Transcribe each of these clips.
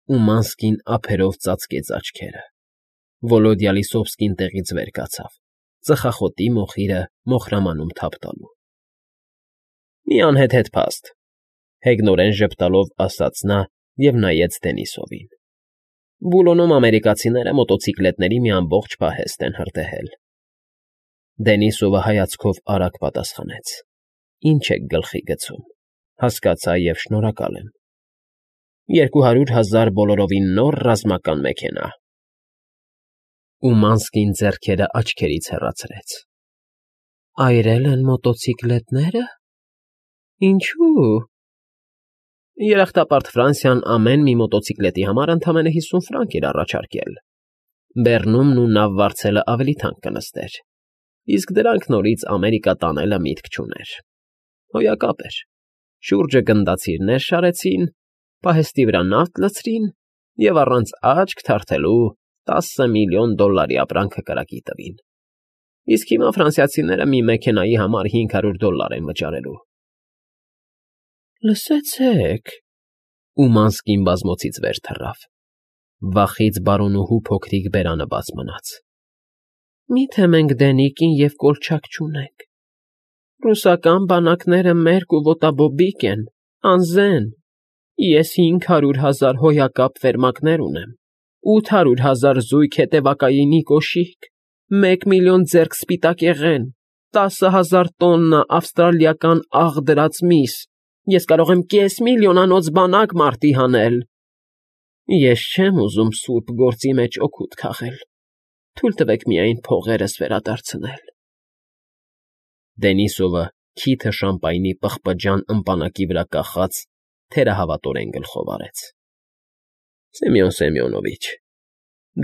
ու Մանսկին ափերով ծածկեց աչքերը։ Վոլոդյա Լիսովսկին տեղից վեր կացավ, ծխախոտի մոխիրը մոխրամանում թափ տալու։ ֊ Մի անհեթեթ փաստ,֊ հեգնորեն ժպտալով ասաց նա և նայեց Դենիսովին։ Բուլոնում ամերիկացիները մոտոցիկլետների մի ամբողջ պահեստ են հրդեհել։ Դենիսովը հայացքով արագ պատասխանեց. Ինչ եք գլխի գցում, հասկացա և շնորհակալ եմ։ 200,000 բոլորովին նոր ռազմական մեքենա։ Ու Մանսկին ձեռքերը աչքերից հեռացրեց։ Այրել են մոտոցիկլետները։ Ինչու՞։ Երախտապարտ Ֆրանսիան ամեն մի մոտոցիկլետի համար ընդամենը 50 ֆրանկ էր առաջարկել։ Բեռնումն ու նավ վարձելը ավելի թանկ կնստեր, իսկ դրանք նորից Ամերիկա տանելը միտք չուներ։ Հոյակապ էր։ Շուրջը գնդացիրներ շարեցին, պահեստի վրա նավթ լցրին և առանց աչք թարթելու $10 միլիոն ապրանքը կրակի տվին։ Իսկ հիմա ֆրանսիացիները մի մեքենայի համար $500 են վճարելու։ Լսեցեք,֊ ու Մանսկին բազմոցից վեր թռավ։ Վախից բարոնուհու փոքրիկ բերանը բաց մնաց։ Մի՞թե մենք Դենիկին և կոլչակ չունենք։ Ռուսական բանակները մերկ ու ոտաբոբիկ են, անզեն։ Ես 500,000 հոյակապ ֆերմակներ ունեմ, 800,000 զույգ հետևակայինի կոշիկ, 1 միլիոն ձեռք սպիտակեղեն, 10,000 տոննա ավստրալիական աղ դրած միս։ Ես կարող եմ $500,000 բանակ մարտի հանել։ Ես չեմ ուզում սուրբ գործի մեջ օգուտ քաղել։ Թույլ տվեք միայն փողերս վերադարձնել։ Դենիսովը քիթը շամպայնի պղպջան ըմպանակի վրա կախած թերահավատորեն գլխով արեց։ Սեմյոն Սեմյոնովիչ,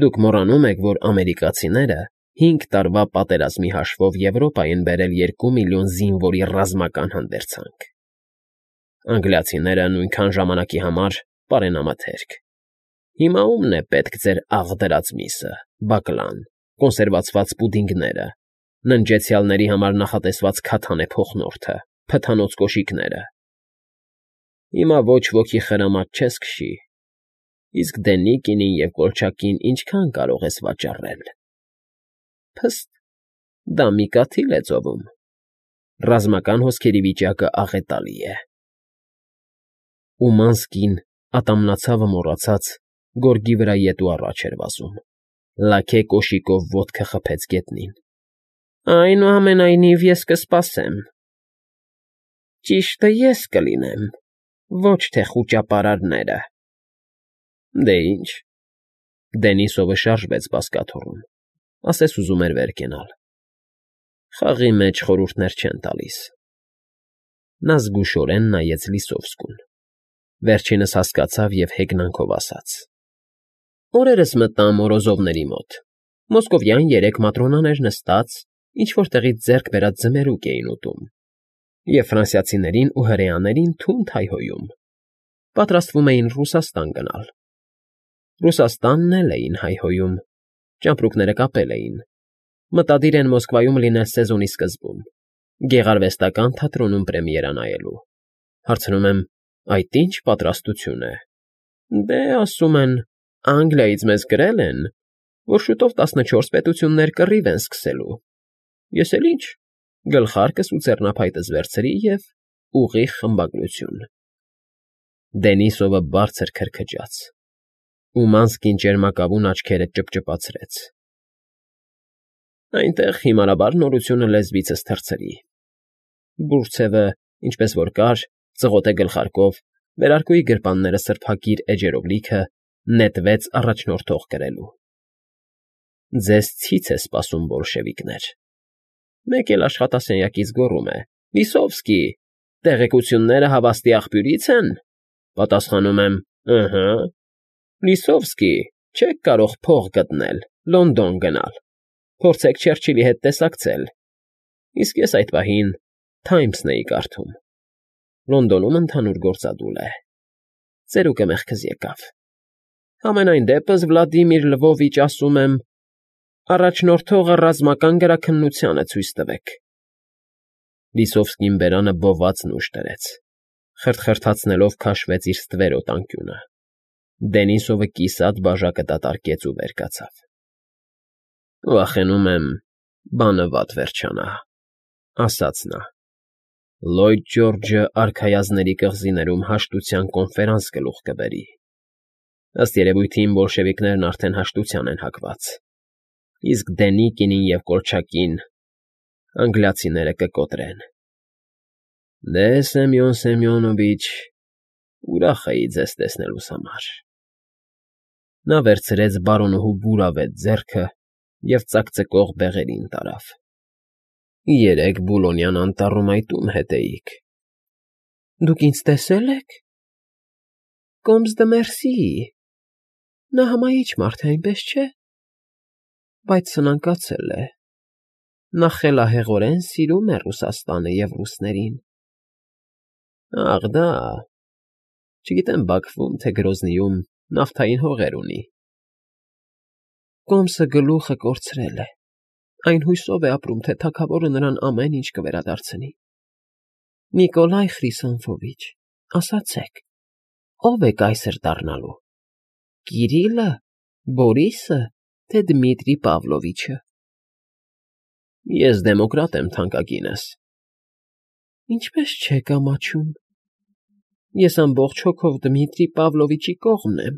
դուք մոռանում եք, որ ամերիկացիները 5 տարվա պատերազմի հաշվով Եվրոպա են բերել 2 միլիոն զինվորի ռազմական հանդերձանք։ Անգլիացիները նույնքան ժամանակի համար պարենամթերք։ Հիմա ումն է պետք ձեր աղ դրած միսը, բակլան, կոնսերվացված պուդինգները, ննջեցյալների համար նախատեսված քաթանե փոխնորդը, փթանոց կոշիկները։ Հիմա ոչ ոքի խրամատ չես քշի, իսկ Դենիկինին և Կոլչակին ինչքան կարող ես վաճառել։ Փստ, դա մի կաթիլ է ծովում։ Ռազմական հոսքերի վիճակը աղետալի է։ Ու Մանսկին, ատամնացավը մոռացած, գորգի վրա ետու առաջ էր վազում։ Լաքե կոշիկով ոտքը խփեց գետնին։ Այնուամենայնիվ ես կսպասեմ։ Ճիշտը ես կլինեմ, ոչ թե խուճապարարները։ Դե ինչ։ Դենիսովը շարժվեց բազկաթոռում, ասես ուզում էր վեր կենալ։ Խաղի մեջ խորհուրդներ չեն տալիս։ Նա զգուշորեն նայեց Լիսովսկուն։ Վերջինս հասկացավ և հեգնանքով ասաց. Օրերս մտա Մորոզովների մոտ։ Մոսկովյան 3 մատրոնաներ նստած, ինչ-որ տեղից ձեռք բերած ձմերուկ էին ուտում, և ֆրանսիացիներին ու հրեաներին թունդ հայհոյում։ Պատրաստվում էին Ռուսաստան գնալ։ Ռուսաստանն էլ էին հայհոյում, ճամպրուկները կապել էին։ Մտադիր են Մոսկվայում լինել սեզոնի սկզբում, գեղարվեստական թատրոնում պրեմիերա նայելու։ Հարցնում եմ, այդ ի՞նչ պատրաստություն է։ Դե, ասում են, Անգլիայից մեզ գրել են, որ շուտով 14 պետություններ կռիվ են սկսելու։ Ես էլ ինչ, գլխարկս ու ձեռնափայտս վերցրի և ուղիղ խմբագրություն։ Դենիսովը բարձր քրքջաց, ու Մանսկին ճերմակավուն աչքերը ճպճպացրեց։ Այնտեղ հիմարաբար նորությունը լեզվիցս թռցրի։ Բուրցևը, ինչպես որ կար, ծղոթե գլխարկով, վերարկուի գրպանները սրբակիր էջերով լիքը, նետվեց առաջնորդող կրելու։ Ձեզ ցից է սպասում, բոլշևիկներ։ Մեկ էլ աշխատասենյակից գոռում է. Լիսովսկի, տեղեկությունները հավաստի աղբյուրի՞ց են։ Պատասխանում եմ. ըհը։ Լիսովսկի, չեք կարող փող գտնել, Լոնդոն գնալ։ Փորձեք Չերչիլի հետ տեսակցել։ Իսկ ես այդ պահին Թայմսն էի կարդում։ Լոնդոնում ընդհանուր գործադուլ է։ Ծերուկը մեղքս եկավ։ Համենայն դեպս Վլադիմիր Լվովիչ, ասում եմ, առաջնորդողը ռազմական գրաքննությանը ցույց տվեք։ Լիսովսկին բերանը բոված նուշ դրեց, խրթխրթացնելով քաշվեց իր ստվերոտ անկյունը։ Դենիսովը կիսատ բաժակը դատարկեց ու վեր կացավ։ Վախենում եմ, բանը վատ վերջանա, ասաց նա։ Լոյդ Ջորջը արքայազների կղզիներում հաշտության կոնֆերանս գլուխ կբերի։ Ըստ երևույթին բոլշևիկներն արդեն հաշտության են հակված, իսկ Դենիկինին և Կոլչակին անգլիացիները կկոտրեն։ Դե, Սեմյոն Սեմյոնովիչ, ուրախ էի ձեզ տեսնելուս համար։ Նա վերցրեց բարոնուհու բուրավետ ձեռքը և ծակծկող բեղերին տարավ։ Երեկ Բուլոնյան անտառում այդ ում հետ էիք։ Դուք ինձ տեսե՞լ եք։ Կոմս դը Մերսի։ Նա հմայիչ մարդ է, այնպես չէ։ Բայց սնանկացել է։ Նա խելահեղորեն սիրում է Ռուսաստանը և ռուսներին։ Ախ, դա… Չգիտեմ Բաքվում, թե Գրոզնիում նավթային հողեր ունի։ Կոմսը գլուխը կորցրել է։ Այն հույսով է ապրում, թե թագավորը նրան ամեն ինչ կվերադարձնի։ Նիկոլայ Խրիսանֆովիչ, ասացեք, ով է կայսր դառնալու։ Կիրիլը, Բորիսը, թե Դմիտրի Պավլովիչը։ Ես դեմոկրատ եմ, թանկագինս։ Ինչպես չեք ամաչում։ Ես ամբողջ հոգով Դմիտրի Պավլովիչի կողմն եմ։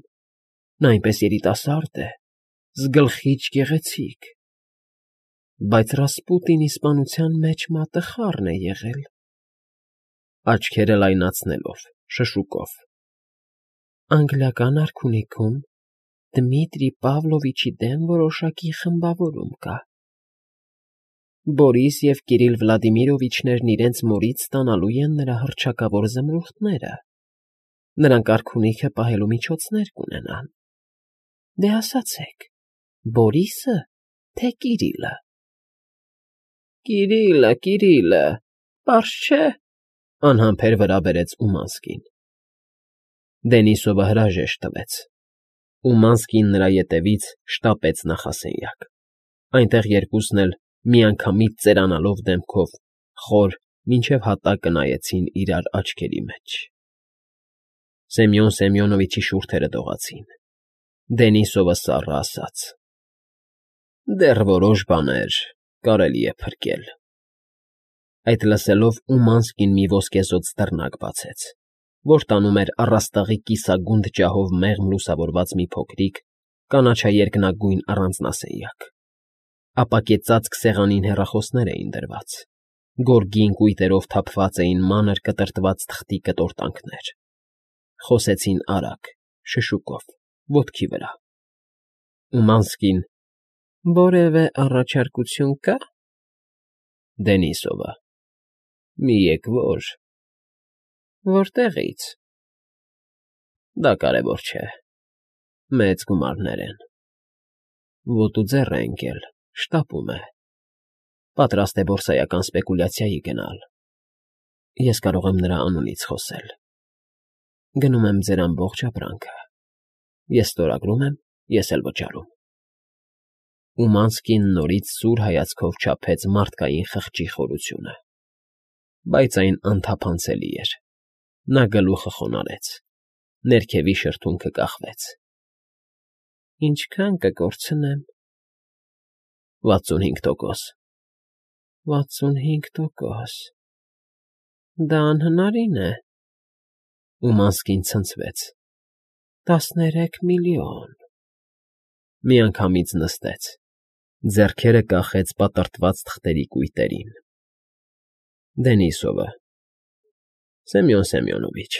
Նա այնպես երիտասարդ է, զգլխիչ գեղեցիկ։ Բայց Ռասպուտինի սպանության մեջ մատը խառն է եղել։ Աչքերը լայնացնելով, շշուկով։ Անգլիական արքունիքում Դմիտրի Պավլովիչի դեմ որոշակի խմբավորում կա։ Բորիս և Կիրիլ Վլադիմիրովիչներն իրենց մորից ստանալու են նրա հռչակավոր զմրուխտները։ Նրանք արքունիքը պահելու միջոցներ կունենան։ Դե ասացեք, Բորիսը, թե Կիրիլը։ Կիրիլը, պարզ չէ, անհամբեր վրա բերեց Ումանսկին։ Դենիսովը հրաժեշտ տվեց։ Ումանսկին նրա ետևից շտապեց նախասենյակ։ Այնտեղ երկուսն էլ միանգամից ծերանալով դեմքով խոր մինչև հատակը նայեցին իրար աչքերի մեջ։ Սեմյոն Սեմյոնովիչի շուրթերը դողացին։ Դենիսովը սառը ասաց. Դեռ որոշ բաներ կարելի է փրկել։ Այդ լսելով Ումանսկին մի ոսկեզօծ դռնակ բացեց, որ տանում էր առաստաղի կիսագունդ ջահով մեղմ լուսավորված մի փոքրիկ, կանաչաերկնագույն առանձնասենյակ։ Ապակե ծածկ սեղանին հեռախոսներ էին դրված, գորգին կույտերով թափված էին մանր կտրտված թղթի կտորտանքներ։ Խոսեցին արագ, շշուկով, ոտքի վրա։ Ումանսկին. Որևէ առաջարկություն կա։ Դենիսովը. Մի եկվոր։ Որտեղից։ Դա կարևոր չէ։ Մեծ գումարներ են։ Ոտու ձեռ է ընկել, շտապում է։ Պատրաստ է բորսայական սպեկուլյացիայի գնալ։ Ես կարող եմ նրա անունից խոսել։ Գնում եմ ձեր ամբողջ ապրանքը։ Ես ստորագրում եմ, ես էլ վճարում։ Ումանսկին նորից սուր հայացքով չափեց մարդկային խղճի խորությունը։ Բայց այն անթափանցելի էր։ Նա գլուխը խոնարհեց։ Ներքևի շրթունքը կախվեց։ Ինչքան կկորցնեմ։ 65%։ 65%։ Դա անհնարին է։ Ումանսկին ցնցվեց։ 13 միլիոն։ Միանգամից նստեց։ Ձեռքերը կախեց պատրտված թղթերի կույտերին։ Դենիսովը. Սեմյոն Սեմյոնովիչ,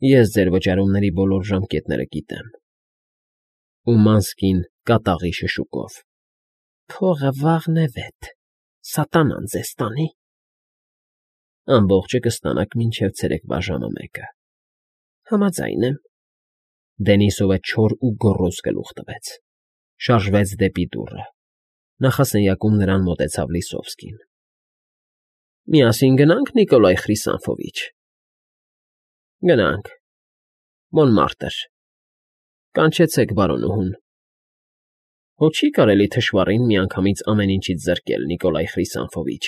ես ձեր վճարումների բոլոր ժամկետները գիտեմ։ Ումանսկին կատաղի շշուկով. Փողը վաղն է վետ, սատանան ձեզ տանի։ Ամբողջը կստանաք մինչև ցերեկվա ժամը 1-ը։ Համաձայն եմ։ Դենիսովը չոր ու գոռոզ գլուխ տվեց։ Շարժվեց դեպի դուռը։ Նախասենյակում նրան մոտեցավ Լիսովսկին։ Միասին գնա՞նք, Նիկոլայ Խրիսանֆովիչ։ Գնանք։ Մոնմարտր։ Կանչեցեք բարոնուհուն։ Հո չի կարելի թշվառին միանգամից ամեն ինչից զրկել, Նիկոլայ Խրիսանֆովիչ։